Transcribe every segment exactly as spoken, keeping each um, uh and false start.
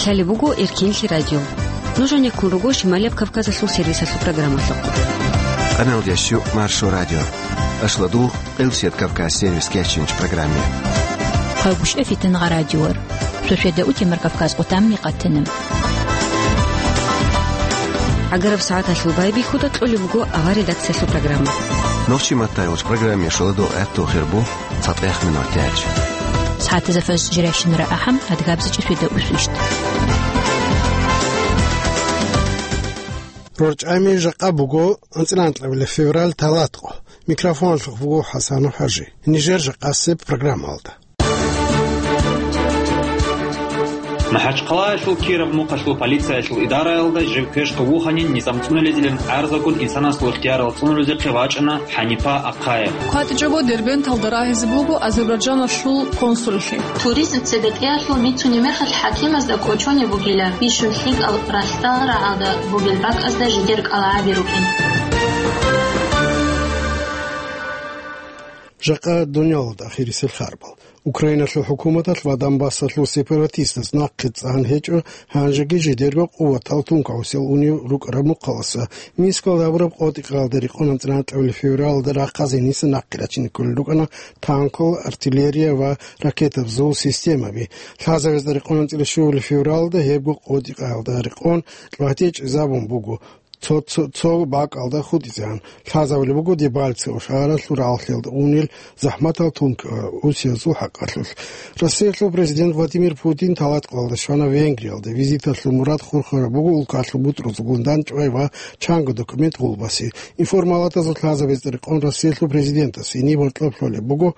Лъалеб буго Эркенлъи радио. Нуж гьанеккун руго Шималияб Кавказалъул сервисалъул программалъухъ. Къаналдящу Маршо радио. Ашладул Къилсият Кавказ сервис кечинч программе. Хъагушев Фитнагъа радиор. Шошеда утемар Кавказ къутамми къатанам. Агараб сагӀаталъул байбихьуда кьолеб буго авар редакциялъул программа. Нохчи маттайгъуч программе шоладо гӀатту хирбу. ЦатӀех минутач. СагӀатазда фаж жирайщинара ахӀам, адгабзичӀи шведа усвищ. РорчӀами жакъа буго анцӀила анкьабилеб февраль, талатӀ къо. Микрофоналъухъ буго ХӀасанов ХӀажи. Нижер жакъасеб программалда. МахӀачхъалаялъул Киров мухъалъул полициялъул идараялда жив квешго вуханин низам цӀунулезилан гӀарзагун инсанасул ихтиярал цӀунулезехъе вачӀана ХӀанипа Ахъаев. КватӀичӀого Дербенталда рагьизе буго Азербайджаналъул консуллъи. Туризм цебетӀеялъул бицунеб мехалъ хӀакимазда кӀочонеб бугила, бищун лъикӀал ралъдал рагӀалда бугел бакӀазда жидер кӀалгӀаби рукӀин. Жакъа дунялалда ахирисел харбал. Украиналъул хӀукуматалъ ва Донбассалъул сепаратистаз нахъе цӀан гьечӀо, гьанжеги жидерго къуватал тункагӀусел унев рукӀараб мухъаласа. Минскалда гьабураб къотӀи-къаялда рекъон анцӀила анкьабилеб февралалда рахъазе гьениса нахъе рачине кколел рукӀана танкал, артиллерия ва ракетабазул системаби. Лъазабазда рекъон анцӀила щуабилеб февралалда гьебго къотӀи-къаялда рекъон лъугьа-тӀечӀезабун буго. Цо, цо, цо бакӀалда хутӀизегӀан лъазабулеб буго Дебальцево шагьаралъул рагӀалъиялда унел захӀматал тункагӀусиязул хӀакъалъулъ. Россиялъул президент Владимир Путин талатӀ къоялда щвана Венгриялда. Визиталъул мурад хурхараб буго улкалъул бутӀрузулгун дандчӀвай ва чанго документ гъулбаси. Информалатазул лъазабазда рекъон Россиялъул президентас гьениб гьоркьоб лъолеб буго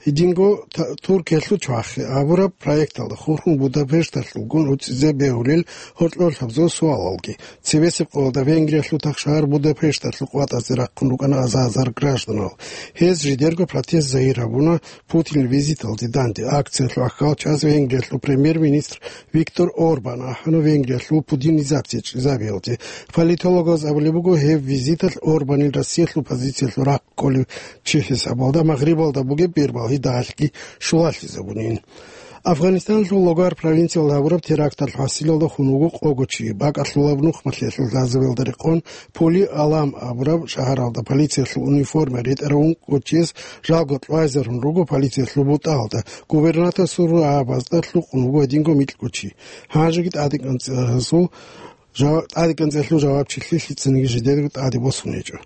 гьединго та-, Туркиялъул чвахи абураб проекталда хурхун Будапешталъулгун уцӀизе бегьулел гьоркьоб лъабзул суалалги. Цебесеб къоялда Венгриялъул тахшагьар Будапешталъул къватӀазе рахъун рукӀана аза-азар гражданал. Гьез жидерго протест загьир гьабуна Путинил визиталде данде. Акциялъул ахьал час Венгриялъул премьер-министр Виктор Орбан ахӀана Венгриялъул путинизация чӀезабиялде. Политологаз абулеб буго, гьеб визиталъ Орбанил Россиялъул позициялъул рахъ кколев чи хӀисабалда, Магърибалда бугеб бербал гьидалъги щулалъизабунин. Афганистаналъул Логар провинциялда гьабураб теракталъ гьасилалда хун вуго къого чи. БакӀалъулаб нухмалъиялъул лъазабиялда рекъон Поли Алам абураб шагьаралда полициялъул униформа ретӀарав ункъо чияс жалго кьвайзарун руго полициялъул бутӀаялда. Губернаторасул рагӀабазда лъукъун вуго гьединго микьго чи. Гьанжеги тӀадекӀанцӀазул жава-, тӀадекӀанцӀалъул жавабчилъи лъицаниги жидерго тӀаде босун гьечӀо.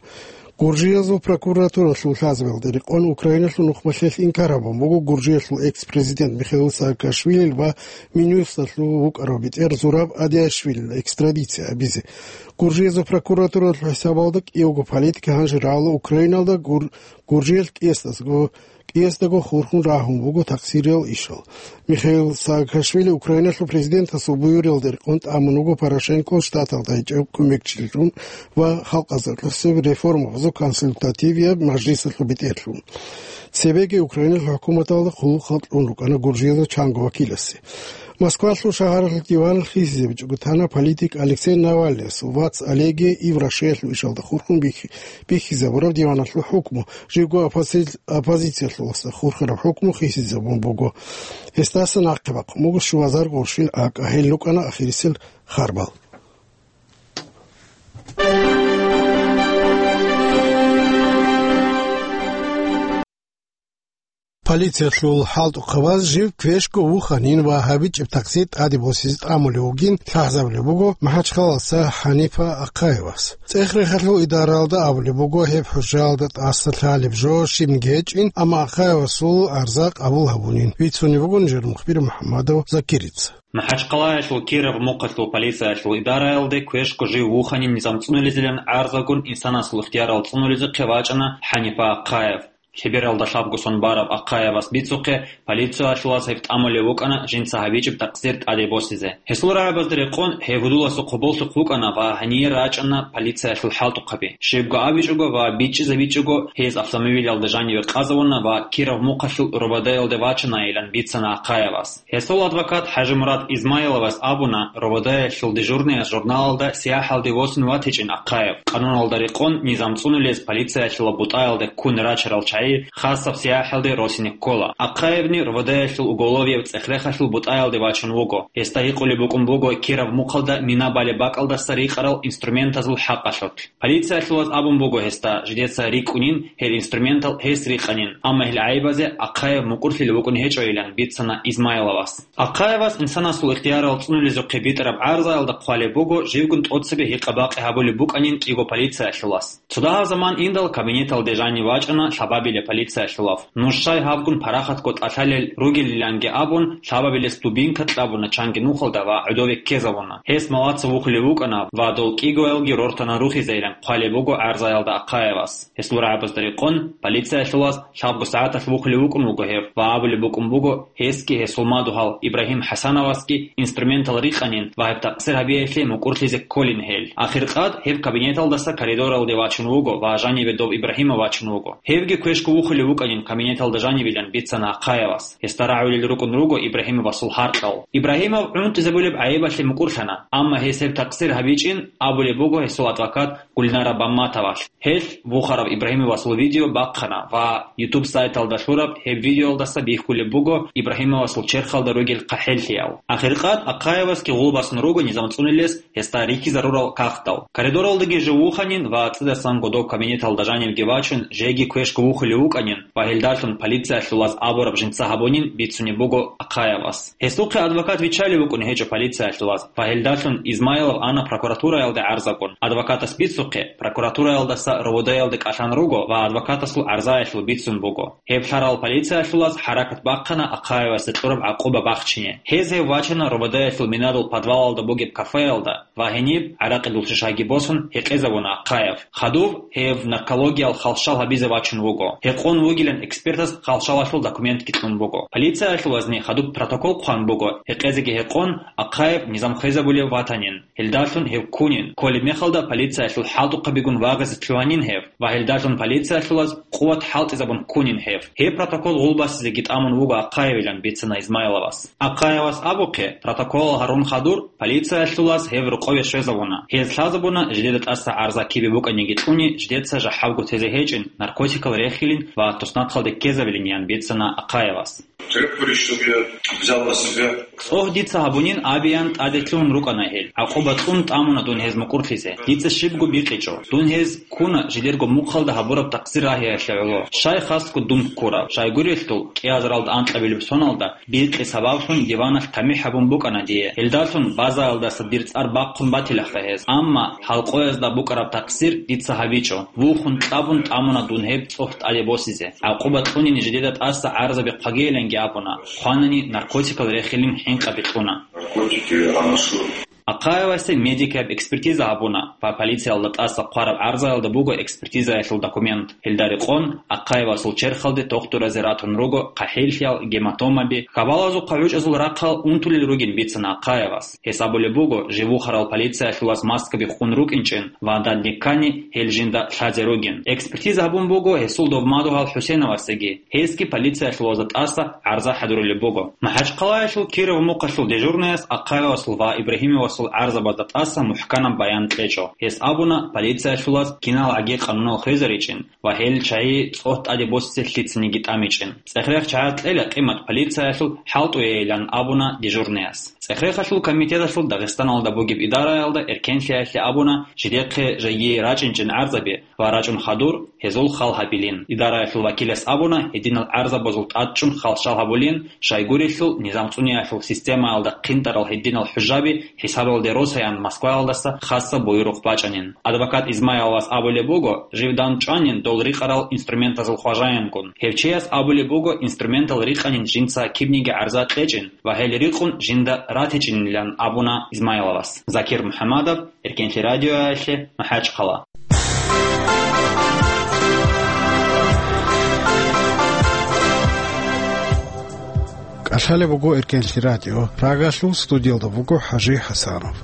Гуржиязул прокуратуралъул лъазабиялда рекъон Украиналъул нухмалъиялъ инкар гьабун буго Гуржиялъул экс-президент Михаил Саакашвилил ва Минюсталъул вукӀарав бетӀер Зураб Адиашвилил экстрадиция гьабизе. Гуржиязул прокуратуралъул хӀисабалда кӀиявго политик гьанже рагӀула Украиналда гур-, Гуржиялъ кӀиасдасго кӀиасдаго хурхун рагьун буго такъсириял ишал. Михаил Саакашвили Украиналъул президентасул буюралда рекъон тӀамун вуго Порошенко штаталда гьечӀев кумекчилъун ва халкъазаркьусеб реформабазул консультативияб мажлисалъул бетӀерлъун. Цебеги Украиналъул хӀукуматалда хъулухъал кьун рукӀана Гуржиялда чанго вакиласе. Москвалъул шагьаралъул диван хисизабичӀого тана политик Алексей Навальныясул вац Олеги Иврашеялъул ишалда хурхун бихьи-, бихьизабураб диваналъул хӀукму, живго оппози-, оппозициялъуласа хурхараб хӀукму хисизабун буго. Гьесдаса нахъе бахъун буго щуазар гъурщил акӀа, гьел рукӀана ахирисел харбал. Полициялъул хӀалтӀухъабаз жив квешго вуханин ва гьабичӀеб такъсир тӀаде босизе тӀамулев вугин лъазабулеб буго МахӀачхъалалса ХӀанипа Ахъаевас. ЦӀех-рехалъул идаралда абулеб буго, гьеб хӀужаялда тӀаса лъалеб жо щибниги гьечӀин, амма Ахъаевасул арза къабул гьабунин. Вицунеб буго нижер мухбир МухӀаммадов Закирица. МахӀачхъалаялъул Киров мухъалъул полициялъул идараялде квешго жив вуханин низам цӀунулезилан гӀарзагун инсанасул ихтиярал цӀунулезехъе вачӀана ХӀанипа Ахъаев. Лъебералда лъабго сон бараб Ахъаевас бицухъе, полициялъулаз гьеб тӀамулев вукӀана жинца гьабичӀеб такъсир тӀаде босизе. Гьесул рагӀабазда рекъон гьев гьудуласухъ гьоболлъухъ вукӀана ва гьание рачӀана полициялъул хӀалтӀухъаби. Щибго абичӀого ва бичӀчӀизабичӀого гьез автомобилалда жаниве къазавуна ва Киров мухъалъул РОВД-ялде вачанайилан бицана Ахъаевас. Гьесул адвокат ХӀажимурад Измайловас абуна, РОВД-ялъул дежурныяс журналалда сияхӀалде восун ватичӀин Ахъаев. Къануналда рекъон низам цӀунулез полициялъула бутӀаялда ккун рачарал чагӀи чагӀи хасаб сияхӀалде росине ккола. Ахъаевни РВД-ялъул уголовияб цӀех-рехалъул бутӀаялде вачун вуго. Гьесда гьикъулеб букӀун буго кираб мухъалда мина балеб бакӀалдаса рикъарал инструментазул хӀакъалъулъ. Полициялъулаз абун буго гьесда, жидеца рикӀкӀунин гьел инструментал гьес рикъанин, амма гьел гӀайибазе Ахъаев мукӀурлъилев вукӀун гьечӀойилан бицана Измайловас. Ахъаевас инсанасул ихтиярал цӀунулезухъе битӀараб гӀарзаялда хъвалеб буго, живгун тӀоцебе гьикъа-бакъи гьабулеб букӀанин кӀиго полициялъулас. Цо дагьаб заман индал кабинеталде жанив вачӀана лъабабилеб полициялъулав. Нуж щай гьабгун парахатго тӀалъалел ругелиланги абун, лъабабилес дубинка кьабуна чанги нухалда ва гӀодове ккезабуна. Гьес малаца вухулев вукӀана ва дол кӀигоялги рортана рухизейилан хъвалеб буго гӀарзаялда Ахъаевас. Гьесул рагӀабазда рекъон, полициялъулаз лъабго сагӀаталъ вухулев вукӀун вуго гьев ва абулеб букӀун буго, гьесги гьесул мадугьал Ибрагьим ХӀасановасги инструментал рикъанин ва гьеб такъсир гьабиялъе мукӀурлъизе кколин гьел. Ахиркъад гьеб кабинеталдаса коридоралде вачун вуго ва жанибе дов Ибрагьимов вачун вуго. Гьевги квешго вухулев вукӀанин кабинеталда жанибилан бицана Ахъаевас. Гьесда рагӀулел рукӀун руго Ибрагьимовасул гьаркьал. Ибрагьимов гӀунтӀизабулеб гӀайибалъе мукӀурлъана, амма гьес гьеб такъсир гьабичӀин абулеб буго гьесул адвокат Гульнара Бамматовалъ. Гьелъ вухарав Ибрагьимовасул видео бахъана ва YouTube сайталда лъураб гьеб видеоялдаса бихьулеб буго Ибрагьимовасул черхалда ругел хъахӀеллъиял. Ахиркъад Ахъаевасги гъулбасун руго низам цӀунилес гьесда рихьизарурал кагътал. Коридоралдаги жив вуханин ва цӀидасан годоб кабинеталда жанивги вачун, жеги квешго вухулев вукӀанин ва гьелдалъун полициялъулаз абураб жинца гьабунин бицунеб буго Ахъаевас. Гьесухъе адвокат виччалев вукӀун гьечӀо полициялъулаз ва гьелдалъун Измайлов ана прокуратураялде гӀарзабун. Адвокатас бицухъе, прокуратураялдаса РВД-ялде кӀалъан руго ва адвокатасул гӀарзаялъул бицун буго. Гьеб лъарал полициялъулаз хӀаракат бахъана Ахъаевасде кьураб гӀакъуба бахчине. Гьез гьев вачана РВД-ялъул минадул подвалалда бугеб кафеялда ва гьениб, гӀаракъидул шишаги босун, гьекъезабуна Ахъаев. Хадув гьев наркологиял халщал гьабизе вачун вуго. Гьекъон вугилан экспертас халщалалъул документги кьун буго. Полициялъулазни хадуб протокол хъван буго, гьекъезеги гьекъон, Ахъаев низам хвезабулев ватанин. Гьелдалъун гьев ккунин, кколеб мехалда полициялъул хӀалтӀухъабигун вагъизе лъугьанин гьев ва гьелдалъун полициялъулаз къуват хӀалтӀизабун ккунин гьев. Гьеб протокол гъулбасизеги тӀамун вуго Ахъаевилан бицана Измайловас. Ахъаевас абухъе, протоколал гьарун хадур, полициялъулаз гьев рокъове щвезабуна. Гьез лъазабуна, жидеда тӀаса гӀарза кибе букӀаниги кьуни, жидеца жахӀалго тезе гьечӀин, наркотикал рехилин ва туснахъалде ккезабилин, ян бицана Ахъаевас. Требовали, чтобы я взял на себя. ЦӀогь дица гьабунин абеян тӀаде лъугьун рукӀана гьел. ГӀакъуба кьун тӀамуна дун гьез мукӀурлъизе. Дица щибго бикъичӀо. Дун гьез ккуна жидерго мухъалда гьабураб такъсир рагьиялъе гӀоло. Щай хасго дун ккурав? Щайгурелъул, кӀиазаралда анкьабилеб соналда биркьи сабаблъун диваналъ тамихӀ гьабун букӀана дие. Гьелдалъун базаялдаса дир цӀар бахъун батилаха гьез. Амма гьалкъоязда букӀараб такъсир дица гьабичӀо. Вухун кьабун тӀамуна дун гьеб цӀогь тӀаде босизе. ГӀакъуба кьунин жидеда тӀаса гӀарзаби хъвагейиланги абуна. Хъванани наркотикал рехилин хӀинкъаби кьуна. Наркотики, анаши. Ахъаевасе медикаб экспертиза гьабуна ва полициялда тӀаса хъвараб гӀарзаялда буго экспертизаялъул документ. Гьелда рекъон, Ахъаевасул черхалде тохтуразе ратун руго хъахӀеллъиял, гематомаби, хабалазухъа гӀучӀазул рахъал унтулел ругин бицана Ахъаевас. Гьес абулеб буго, жив вухарал полициялъулаз маскаби хъун рукӀинчӀин ва данде ккани гьел жинда лъазе ругин. Экспертиза гьабун буго гьесул дов мадугьал ХӀусеновасеги. Гьесги полициялъулазда тӀаса гӀарза хӀадурулеб буго. МахӀачхъалаялъул Киров мухъалъул дежурнаяс Ахъаевасул ва Ибрагьимовасул гӀарзабазда тӀаса мухӀканаб баян кьечӀо. Гьес абуна, полициялъулаз кинал гӀаги къанунал хвезаричӀин ва гьел чагӀи цӀогь тӀаде босизе лъицаниги тӀамичӀин. ЦӀехрех чагӀаз кьела къимат полициялъул хӀалтӀуейилан абуна дежурнаяс. ЦӀехрехалъул комитеталъул Дагъистаналда бугеб идараялда эркенлъиялъе абуна, жидехъе жеги рачӀинчӀин гӀарзаби ва рачӀун хадур гьезул хал гьабилин. Идараялъул вакилас абуна, гьединал гӀарзабазул тӀадчӀун халщал гьабулин, щайгурелъул низам цӀуниялъул системаялда хъинтӀарал гьединал хӀужаби хӀисабалде росаян Москваялдаса хасаб буюрухъ бачӀанин. Адвокат Измайловас абулеб буго, жив дандчӀванин дол рикъарал инструментазул хважаянгун. Гьев чияс абулеб буго, инструментал рикъанин жинца кибниги гӀарза кьечӀин ва гьел рикъун жинда ратичӀинилан абуна Измайловас. Закир МухӀамадов, Эркенлъи радиоялъе, МахӀачхъала. КӀалъалеб буго Эркенлъи радио. Прагалъул студиялда буго ХӀажи ХӀасанов.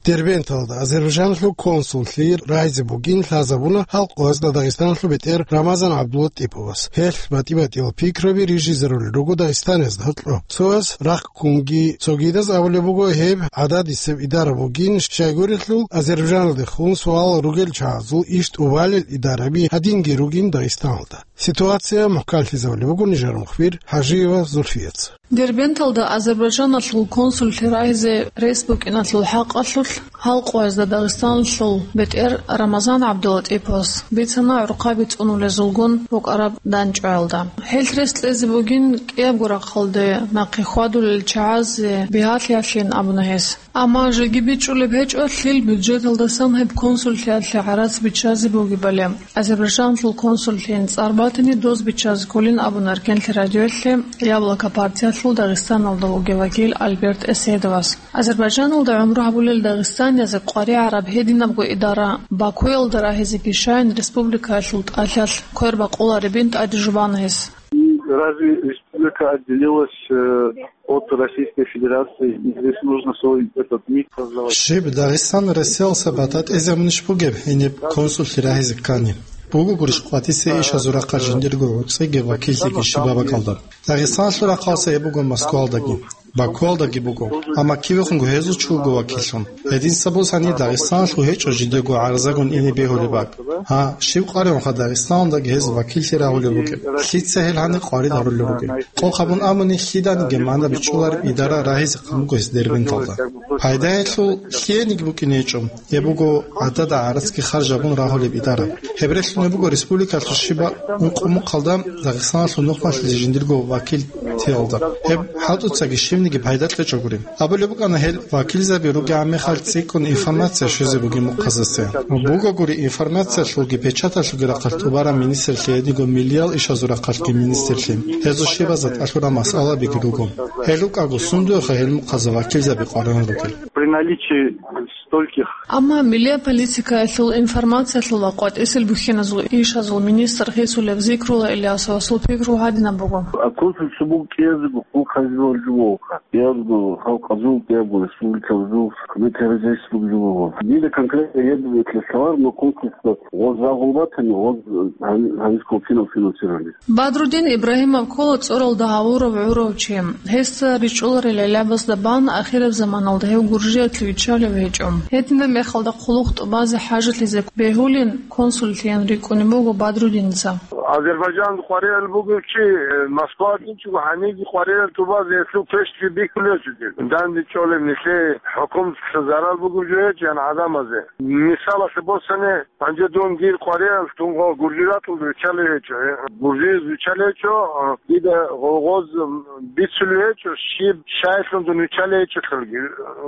Дербенталда Азербайджаналъул консуллъи рагьизе бугин лъазабуна гьал къоязда Дагъистаналъул бетӀер Рамазан ГӀабдуллатӀиповас. Гьелъ батӀи-батӀиял пикраби рижизарулел руго дагъистаниязда гьоркьоб. Цояс рахъ ккунги, цогидаз абулеб буго гьеб гӀададисеб идара бугин, щайгурелъул Азербайджаналдехун суал ругел чагӀазул иш тӀубалел идараби гьадинги ругин Дагъистаналда. Ситуация мухӀканлъизабулеб буго нижер мухбир ХӀажиева Зульфияца. Дербенталда Азербайджаналъул консуллъи рагьизе рес букӀиналъул хӀакъалъулъ гьал къоязда Дагъистаналъул бетӀер Рамазан ГӀабдуллатӀиповас бицана гӀурхъаби цӀунулезулгун букӀараб дандчӀваялда. Гьелъ рес кьезе бугин кӀиябго рахъалде нахъе хьвадулел чагӀазе бигьалъиялъин абуна гьес. Амма жеги бичӀчӀулеб гьечӀо, лъил бюджеталдасан гьеб консуллъиялъе гӀарац биччазе бугебали. Азербайджаналъул консуллъийин цӀар батани, доз биччазе кколин абуна Эркенлъи радиоялъе Яблоко партиялъул Дагъистаналда вугев вакил Альберт Эседовас. Азербайджаналда гӀумру гьабулел дагъистаниязе къваригӀараб гьединабго идара Бакуялда рагьизеги щайин республикаялъул тӀалъалъ квер бакъуларебин тӀаде жубана гьес. И разве республика отделилась, э, от Российской Федерации? И здесь нужно свой этот миф создавать. Щиб, Дагъистан Россиялдаса батӀа тӀезабунищ бугеб гьениб консуллъи рагьизе ккани? Буго гурищ къватӀиса ишазул рахъалъ жиндирго гӀуцӀиги вакиллъиги щибаб бакӀалда. Дагъистаналъул рахъалдаса гьеб буго Москвалдаги, Бакуалдаги буго, амма кивехунго гьезул чи вуго вакиллъун. Гьединса бусани Дагъистаналъул гьечӀо жидего гӀарзагун ине бегьулеб бакӀ. Гьа, щиб къваригӀунха Дагъистаналдаги гьез вакиллъи рагьулеб букӀеб? Лъица гьел гьаниб къварид гьарулел ругел? Къокъ гьабун абуни, лъиданиги магӀна бичӀчӀулареб идара рагьизехъан буго гьес Дербенталда. Пайдаялъул лъиениги букӀине гьечӀо. Гьеб буго гӀадада гӀарацги харжабун рагьулеб идара. Гьеб релълъунеб буго республикалъул щибаб ункъо мухъалда Дагъистаналъул нухмалъизе жиндирго вакил тиялда. Гьеб хӀалтӀуцаги щибниги пайда кьечӀогури. Абулеб букӀана, гьел вакилзаби ругегӀан мехалъ цӀикӀкӀун информация щвезе бугеб мухъаздаса. Бугогури информациялъулги печаталъулги рахъалъ тӀубараб министрлъи, гьединго миллиял ишазул рахъалъги министрлъи. Гьезул щибазда тӀалъураб масъалабиги руго. Гьел рукӀаго сундуеха гьел мухъазда вакилзаби къваригӀун ругел? При наличии стольких. Амма миллия политикаялъул, информациялъул ва къватӀисел бухьиназул ишазул министр гьесулеб Зикрула Ильясовасул пикру гьадинаб буго. А консульство буго кӀиязего хъулухъ гьабизе жо вуго. КӀиязго халкъазул, кӀиябго республикабазул, хъубекаризейсулго жо вуго. Дида конкретно гьеб бетӀер лъалареб, но консульство гъоз рагъул батани, гъоз гьаниб, гьаниб ккола кинал финансирование. Бадрудин Ибрагьимов ккола цӀоралда гьавурав гӀурав чи. Гьесда ричӀчӀуларел гӀелабазда бан ахираб заманалда гьев Гуржиялъе виччалев гьечӀо. Гьединаб мехалда хъулухъ тӀубазе хӀажалъизе бегьулин консуллъийин рикӀкӀунеб буго Бадрудинца. Азербайджан къваригӀел бугев чи, э, Москва гьанибги къваригӀел тӀубазе гьелъул пешги бихьулев чи. Данде чӀолеб нилъее хӀукуматалъа зарал бугеб жо гьечӀо, ян гӀадамазе. Мисалалъе босани, гьанже дун дир къваригӀел, дун гъо-, гуржи ратулда виччалев гьечӀо. Гуржиез виччалев гьечӀо, дида гъо-, гъоз бицулев гьечӀо, щиб щайилъун дун виччалев гьечӀолъулги.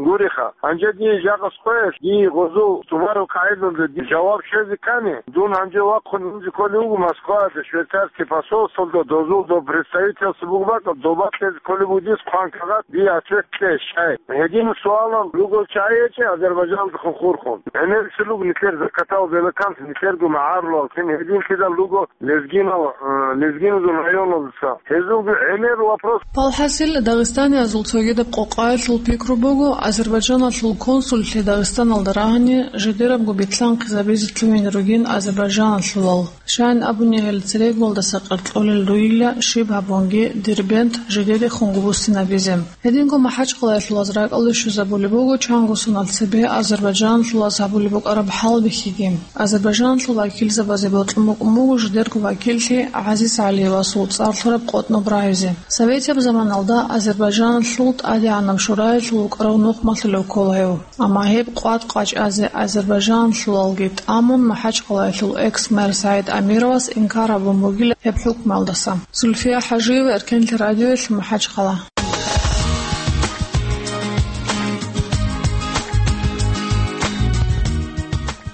Гуриха, гьанже дие жакъа къоялъ, дие гъозул тӀубараб къагӀидалда дир жаваб щвезе ккани, дун гьанже вахъун унзе кколев вуго Москваялда, швейцарский посольствоялда, дозул доб представительство буго бакӀал, доба кьезе кколеб буго дие хъван кагъат, дие ответ кье, щай. Гьедин суалал ругел чагӀи гьечӀо Азербайджаналдехун хурхун. ГӀемер цилуг нилъер закатал белаканс, нилъерго магӀарулал, кин гьединлъидал руго лезгинал, э, лезгиназул районалдаса. Гьезулги гӀемер вопрос. Палхасил, дагъистаниязул цогидаб къокъаялъул пикру буго, Азербайджаналъул консуллъи Дагъистаналда рагьани, жидерабго битлъанхъизабизе лъугьине ругин азербайджаналъулал. Щайин абуни, гьел церегуялдаса къеркьолел ругила, щиб гьабунги Дербент жидеде хунго буссинабизе. Гьединго МахӀачхъалаялъулаз ракӀалде щвезабулеб буго чанго сонал цебе азербайджаналъулаз гьабулеб букӀараб хӀалбихьиги. Азербайджаналъул вакилзабазе бокьун букӀун буго жидерго вакиллъи ГӀазиз ГӀалиевасул цӀар лъураб къотӀноб рагьизе. Советияб заманалда Азербайджаналъул ТӀадегӀанаб Шураялъул вукӀарав нухмалъулев ккола гьев. Амма гьеб къват къачӀазе азербайджаналъулалги тӀамун, МахӀачхъалаялъул экс-мэр СагӀид Амировас инкар гьабун бугила гьеб хӀукмуялдаса. Зульфия ХӀажиева, Эркенлъи радиоялъ, МахӀачхъала.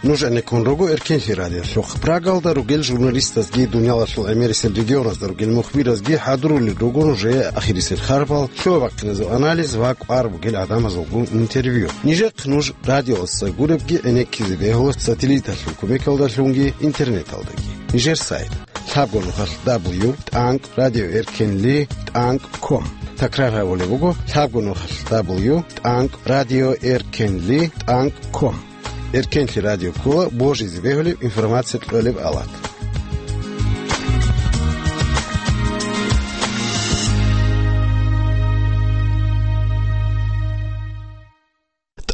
Нуж гӀенеккун руго Эркенлъи радиолъухъ. Прагалда ругел журналистазги, дуниялалъул гӀемерисел регионазда ругел мухбиразги хӀадурулел руго нужее ахирисел харпал, лъугьа-бахъиназул анализ ва кӀвар бугел гӀадамазулгун интервью. Нижехъ нуж радиоялдаса гуребги гӀенеккизе бегьула сателлиталъул кумекалдалъунги интернеталдаги. Нижер сайт. лъабго нухалъ дабл ю тӀанкӀ радиоэркенли тӀанкӀ ком. Такрар гьабулеб буго: лъабго нухалъ дабл ю тӀанкӀ радиоэркенли тӀанкӀ ком. Эркенлъи радио ккола божизе бегьулеб информация кьолеб алат.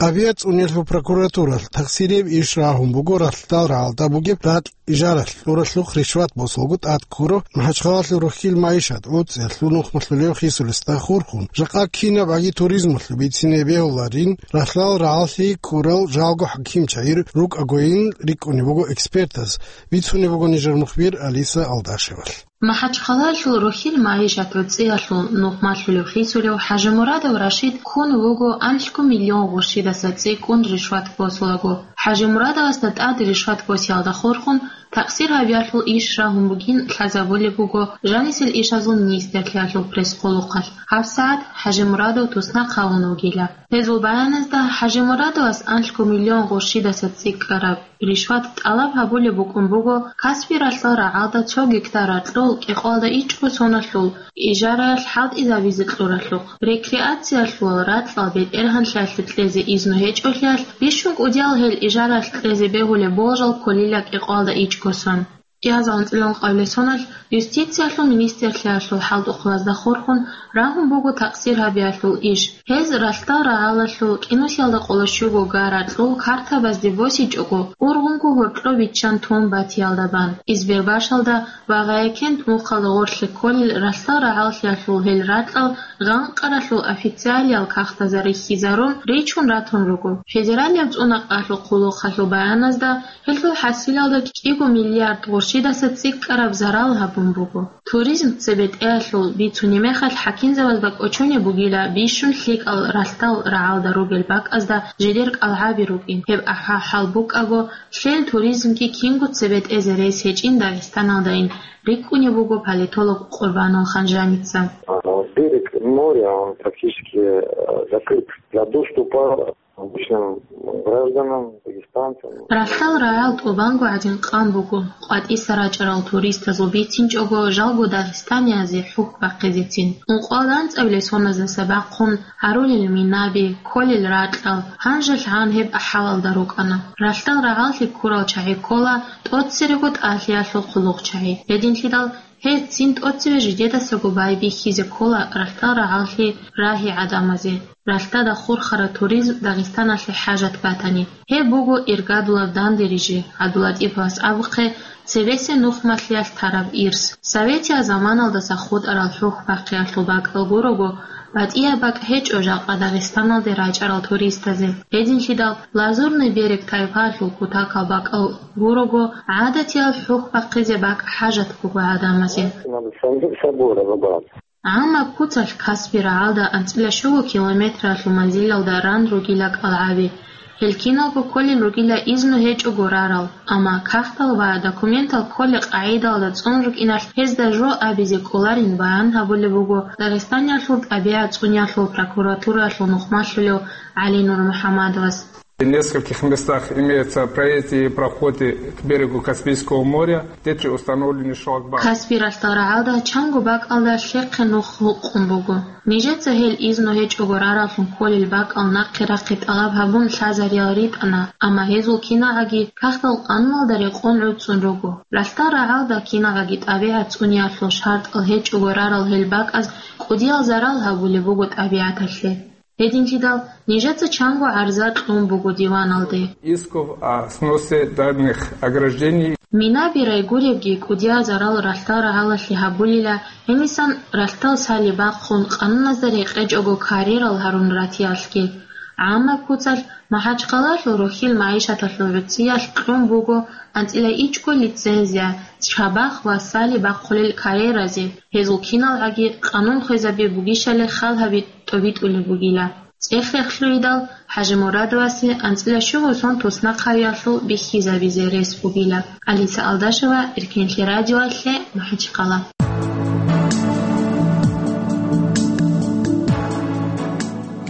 ТӀабигӀат цӀуниялъул прокуратуралъ тахсирияб иш рагьун буго ралъдал рагӀалда бугеб ракь ижаралъ кьуралъухъ ришват босулго тӀад ккурав МахӀачхъалалъул Рохьил МагӀишат гӀуцӀиялъул нухмалъулев хисулесда хурхун, жакъа кинаб гӀаги туризмалъул бицине бегьуларин, ралъдал рагӀаллъи ккурал жалго хӀакимчагӀи рукӀагойин рикӀкӀунеб буго экспертаз, бицунеб буго нижер мухбир Алиса Алдашевалъ. МахӀачхъалалъул Рохьил МагӀишат гӀуцӀиялъул нухмалъулев хисулев ХӀажимурадов Рашид ккун вуго анлъго миллион гъурщидаса цӀикӀкӀун ришват босулаго. ХӀажимурадовасда тӀад ришват босиялда хурхун, такъсир гьабиялъул иш рагьун бугин лъазабулеб буго жанисел ишазул министрлъиялъул пресс-хъулухъалъ. ГьабсагӀат ХӀажимурадов туснахъ гьавун вугила. Гьезул баяназда ХӀажимурадовас анлъго миллион гъурщидаса цӀикӀкӀараб ришват тӀалаб гьабулеб букӀун буго Каспи ралъдал рагӀалда цо гектар ракьул кӀикъоялда ичӀго соналъул ижараялъ хӀалтӀизабизе кьуралъухъ. Рекреациялъул ракьал бетӀергьанлъиялъе кьезе изну гьечӀолъиялъ, бищун кӀудиял гьел ижараялъ кьезе бегьулеб болжал кколила кӀикъоялда ичӀго сон. Кьиазал анцӀила ункъабилеб соналъ юстициялъул министрлъиялъул хӀалтӀухълазда хурхун рагьун буго такъсир гьабиялъул иш. Гьез ралъдал рагӀалалъул кӀинусиялда къоло щуго га ракьул картабазде босичӀого, ургъунго гьоркьо виччан тун батиялда бан. Избербашалда ва Гъаякент мухъалда гъорлъе кколел ралъдал рагӀаллъиялъул гьел ракьал гъанкъаралъул официалиял кагътазда рихьизарун, ричун ратун руго. Федералияб цӀунакъалъул хъулухъалъул баяназда, гьелъул хӀасилалда кӀиго миллиард гъурщидаса цӀикӀкӀараб зарал гьабун буго. Туризм цебетӀеялъул бицунеб мехалъ хӀакимзабаз бакӀочунеб бугила бищун лъикӀал ралъдал рагӀалда ругел бакӀазда жидер кӀалгӀаби рукӀин, гьеб ахӀа-, хӀал букӀаго, лъел туризмги кинго цебетӀезе рес гьечӀин Дагъистаналдайин, рикӀкӀунеб буго политолог Къурбанул Ханжаница. А, берег моря, он практически, э, закрыт для доступа обычным гражданам, дагестанцам. Ралъдал рагӀал тӀубанго гӀадин къан буго, къватӀиса рачӀарал туристазул бицинчӀого жалго дагъистаниязе хӀухь бахъизецин. Ункъоялда анцӀабилеб соназдаса бахъун гьарулел минаби, кколел ракьал, гьанжелъ гьан гьеб ахӀалалда рукӀана. Ралъдал рагӀаллъи ккурал чагӀи ккола тӀоцерего тӀалъиялъул хъулухъчагӀи. Гьединлъидал гьез цин тӀоцеве жидедасаго байбихьизе ккола ралъдал рагӀаллъи рагьи гӀадамазе. Ралъдада хурхараб туризм Дагъистаналъе хӀажат батани, гьеб буго иргадулаб данде рижи, ГӀабдулатӀиповас абухъе, цебесеб нухмалъиялъ тараб ирс. Советиял заманалдаса хутӀарал хӀухь бахъиялъул бакӀал гурого, батӀияб бакӀ гьечӀо жакъа Дагъистаналде рачӀарал туристазе. Гьединлъидал Лазурный берег тайпаялъул кутакал бакӀал гурого, гӀадатиял хӀухь бахъизе бакӀ хӀажат буго гӀадамазе. Надо сам-, собой разобраться. ГӀаммаб куцалъ Каспи рагӀалда анцӀила щуго километралъул манзилалда ран ругила кӀалгӀаби. Гьел киналго кколел ругила изну гьечӀого рарал, амма кагътал ва документал кколеб къагӀидалда цӀун рукӀиналъ гьезда жо абизе кӀоларин баян гьабулеб буго Дагъистаниялъул тӀабигӀат цӀуниялъул прокуратураялъул нухмалъулев ГӀали Нурмухьамадовас. В нескольких местах имеются проезды и проходы к берегу Каспийского моря, где три установлены шлагбаумы. Каспи ралъдал рагӀалда чанго бакӀалда лъехъе нух гьукъун буго. Нижеца гьел изну гьечӀого рараллъун кколел бакӀал нахъе рахъи тӀалаб гьабун лъазариял ритӀана, амма гьезул киналгӀаги кагътал къануналда рекъон гӀуцӀун руго. Ралъдал рагӀалда киналгӀаги тӀабигӀат цӀуниялъул шартӀал гьечӀого рарал гьел бакӀаз кӀудиял зарал гьабулеб буго тӀабигӀаталъе. Гьединлъидал нижеца чанго гӀарза кьун буго диваналде. Исков о сносе данных ограждений. Минаби райгуребги кӀудиял зарал ралъдал рагӀалалъе гьабулила, гьенисан ралъдал сали бахъун къануназда рекъечӀого карьерал гьарун ратиялъги. ГӀаммаб куцалъ МахӀачхъалалъул Рохьил магӀишаталъул гӀуцӀиялъ кьун буго анцӀила ичӀго лицензия, чабахъ ва сали бахъулел карьеразе. Гьезул киналгӀаги къанун хвезаби бугищали хал гьаби тӀобитӀулеб бугила. ЦӀех-рехлъуйидал ХӀажимурадовасе анцӀила щуго сон туснахъавиялъул бихьизабизе рес бугила. Алиса Алдашева, Эркенлъи радиоялъе, МахӀачхъала.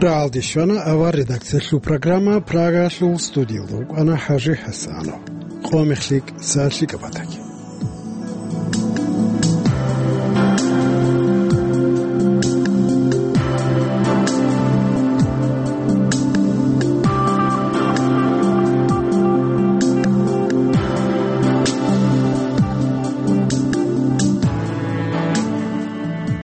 РагӀалде щвана авар редакциялъул программа, Прагалъул студиялда вукӀана ХӀажи ХӀасанов. Къо мехлъи, са лъикӀаб батаги.